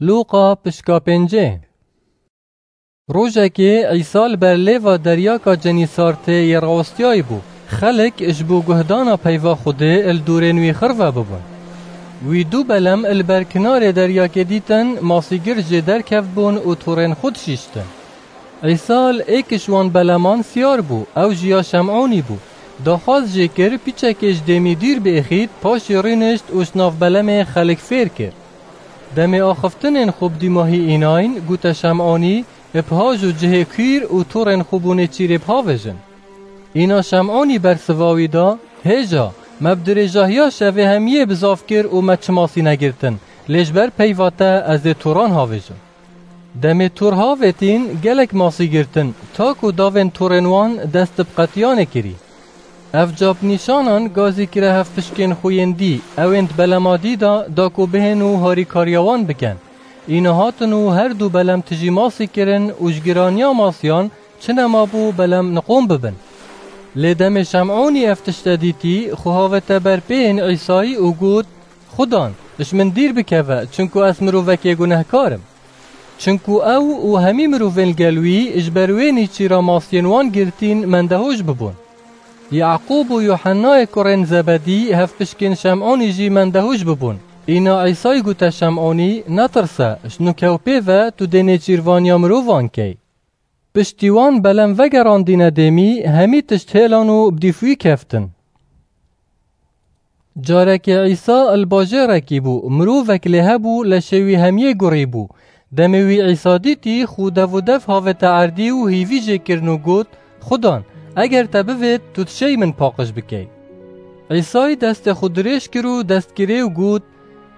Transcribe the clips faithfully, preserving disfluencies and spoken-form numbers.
Lûqa pişka pêncê. Rojekê Îsa li ber lêva deryaka Cenîsartê yê rawestiyayî bû. Xelk ji bo guhdana peyva Xwedê li dorên wî xirve bibûn. Wî du belem li ber kinarê deryakê dîtin, masîgir jê derkevtbûn û torên xwe dişîştin. Îsa li êk ji wan beleman siyar bû, ew jî ya Şem'ûnî bû. Daxwaz jê kir, pîçekê ji dêmî dûr biêxît, paşê rûnişt û ji nav belemê xelk fêr kir. Demê axiftinên xwe bi dîmahî înayîn, gote Şem'ûnî, bi haj û cihê kûr û torên xwe bo nêçîrê bihavêjin. Îna Şem'ûnî bersiva wî da, Hêja, me bi dirêjahiya şevê hemiyê bizav kir û me çi masî negirtin, lê ji ber peyva te ez ê toran havêjim. Demê tor havêtîn, gelek masî girtin, ta ku davên torên wan dest bi qetiyanê kirî. Ev ca bi nîşanan gazî kire hevpişkên xwe yên dî, ew ên di belema dî de da ku bihên û harîkariya wan bikin. Îna hatin û her du belem tijî masî kirin û ji giraniya masiyan çi nemabû belem niqûn bibin. Lê demê Şem'ûnî ev tişte dîtî, xwe havête ber pêyên Îsayî û got, Xudan, ji min dîr bikeve, çinku ez mirovekê gunehkar im. Çinku ew û hemî mirovên li gel wî ji ber wê nêçîra masiyên wan girtîn mendehûş bibûn. Yaqûb û Yuhennayê kurên Zebedî hevpişkên Şem'ûnî jî mendehûş bibûn. Îna Îsayî gote Şem'ûnî, Netirse, ji nûke û pê ve tu dê nêçîrvaniya mirovan key. Piştî wan belem vegerandîne dêmî, hemî tişt hêlan û bi dîf wî keftin. Carekê Îsa li bajêrekî bû, mirovek lê hebû, leşê wî hemiyê gurî bû. Demê wî Îsa dîtî, xwe dev û dev havête erdî û hîvî jê kirin û got, Xudan, eger te bivêt, tu dişêy min paqij bikey. Îsayî destê xwe dirêj kir û dest kirê û got,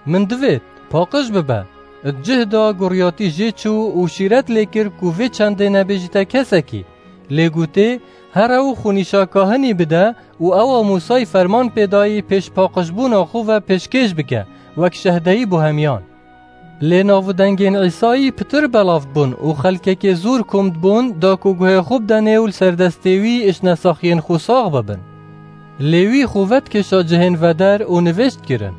Min divêt, paqij bibe. Di cih de guriyatî jê çû û şîret lê kir ku vê çendê nebêjîte kesekî. Lê gotê, Here û xwe nîşa kahinî bide û ewa Mûsayî ferman pê dayî pêş paqijbûna xwe ve pêşkêş bike, wek şehdeyî bo hemiyan. Lê nav û dengên Îsayî pitir belav bûn û xelkekê zor kom dibûn, da ku guhê xwe bidenê û li ser destê wî ji nesaxiyên xwe sax bibin. Lê wî xwe vedikêşa cihên veder û nivêj dikirin.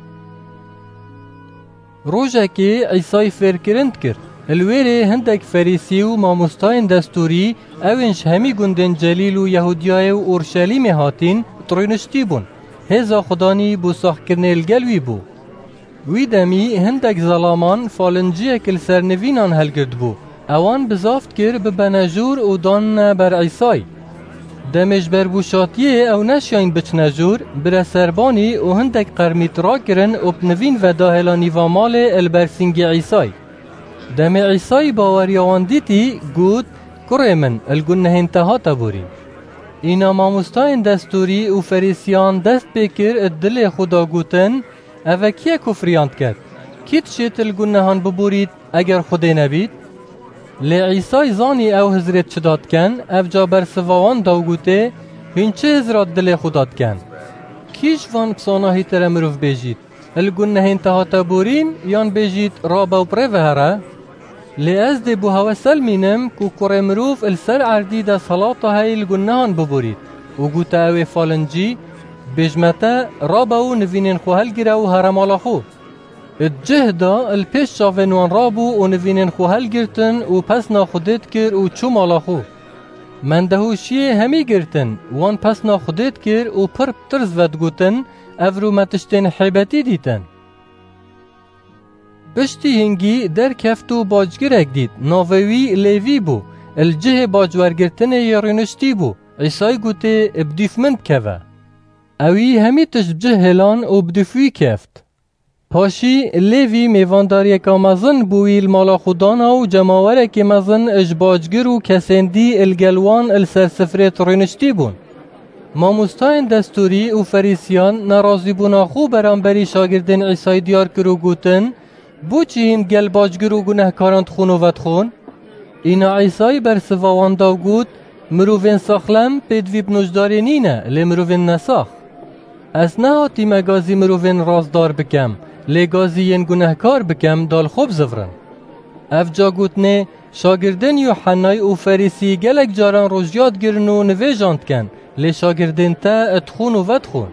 Rojekê Îsayî fêrkirin dikir. Li wêrê hindek Ferîsî û mamostayên destûrî, ew ên ji hemî gundên Celîl û Yehûdiyayê û Orşelîmê hatîn, di rûniştî bûn. Hêza Xudanî bo saxkirinê li gel wî bû. Wî demî hindek zelaman falinciyek li ser nivînan helgirtibû. Ewan bizav dikir bibene jûr û danine ber Îsayî. Demê ji ber bûşatiyê ew neşiyayîn biçine jûr, bire serbanî û hindek qermît rakirin û bi nivîn ve dahêla nîva malê li ber sîngê Îsayî. Demê Îsayî baweriya wan dîtî, got, Kurê min, li gunehên te hate borîn. Îna mamostayên destûrî û Ferîsiyan dest pê kir, di dilê xwe de gotin, Eve kî ye kufriyan diket? Kî dişêt li gunehan biborît, eger Xwedê nebît? Lê Îsay zanî ew hizrêt çi da diken, ev ca bersiva wan da û gotê, Hûn çi hizra di dilê xwe da diken? Kî ji van bi sanahî tere mirov bêjît, Li gunehên te hate borîn, yan bêjît, Rabe û bi rê ve here? Lê ez dê bo hewe selmînim ku Kurê Mirov li ser erdî desthilata heyî li gunehan biborît û gote ew ê falincî, Bêjme te, rabe û nivînên xwe helgire û here mala xwe. Di cih de li pêş çavên wan rabû û nivînên xwe helgirtin û pesna Xwedê dikir û çû mala xwe. Mendehûşiyê hemî girtin, wan pesna Xwedê dikir û pir bi tirs ve digotin, Evro me tiştên hêbetî dîtin. Piştî hingî derkeft û bacgirek dît, navê wî Lêvî bû, li cihê bacwergirtinê yê rûniştî bû. Îsay gotê, Bi dîf min bikeve. Ewî hemî tişt bi cih hêlan û bi dîf wî keft. Paşî Lêvî mêvandariyeka mezin bo wî li mala xwe dana û cemawerekê mezin ji bacgir û kesên dî li gel wan li ser sifrê di rûniştî bûn. Mamostayên destûrî û Ferîsiyan nerazîbûna xwe beramberî şagirdên Îsayî diyar kir û gotin, Boçî hîn gel bacgir û gunehkaran dixwin û vedixwin? Îna Îsayî bersiva wan da û got, Mirovên saxlem pêdivî bi nojdarê nîne, lê mirovên nesax. Ez nehatîme gazî mirovên rastdar bikem, lê gazî yên gunehkar bikem, da li xwe bizivirin. Ev ca gotinê, Şagirdên Yuhennay û Ferîsî gelek caran rojiya digirin û nivêjan dikin, lê şagirdên te dixwin û vedixwin.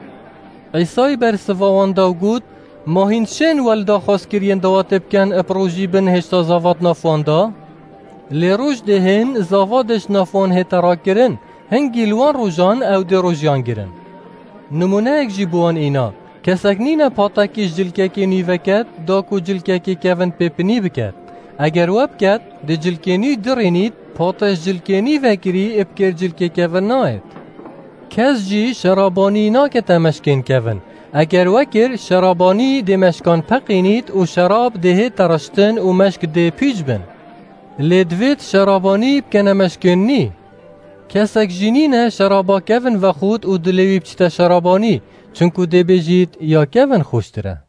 Îsay bersiva wan da û got, Ma hîn şên wel daxwaz kiriyên dawatê bikin ib rojî bin hêşta zavat nafwan da? Lê roj dê hên zava dê ji nafwan hête rakirin, hingî li wan rojan ew dê rojiyan girin. Nimûneyek jî bi wan îna, kesek nîne patekî ji cilkekê nî veket, da ku cilkekê kevin pê pinî biket. Eger we biket, dê cilkê nî dirînît, pate ji cilkê nî vekirî ib kêr cilkê kevin nayêt. Kes jî şerabanî nakete meşkên kevin. Eger we kir, şerabanî dê meşkan peqînît û şerab dê hête reştin û meşk dê pîç bin. Lê divêt şerabanî bikene meşkên nî. Kesek jî nîne şeraba kevin vexût û dilê wî biçite şerabanî, çinku dê bêjît ya kevin xweştir e.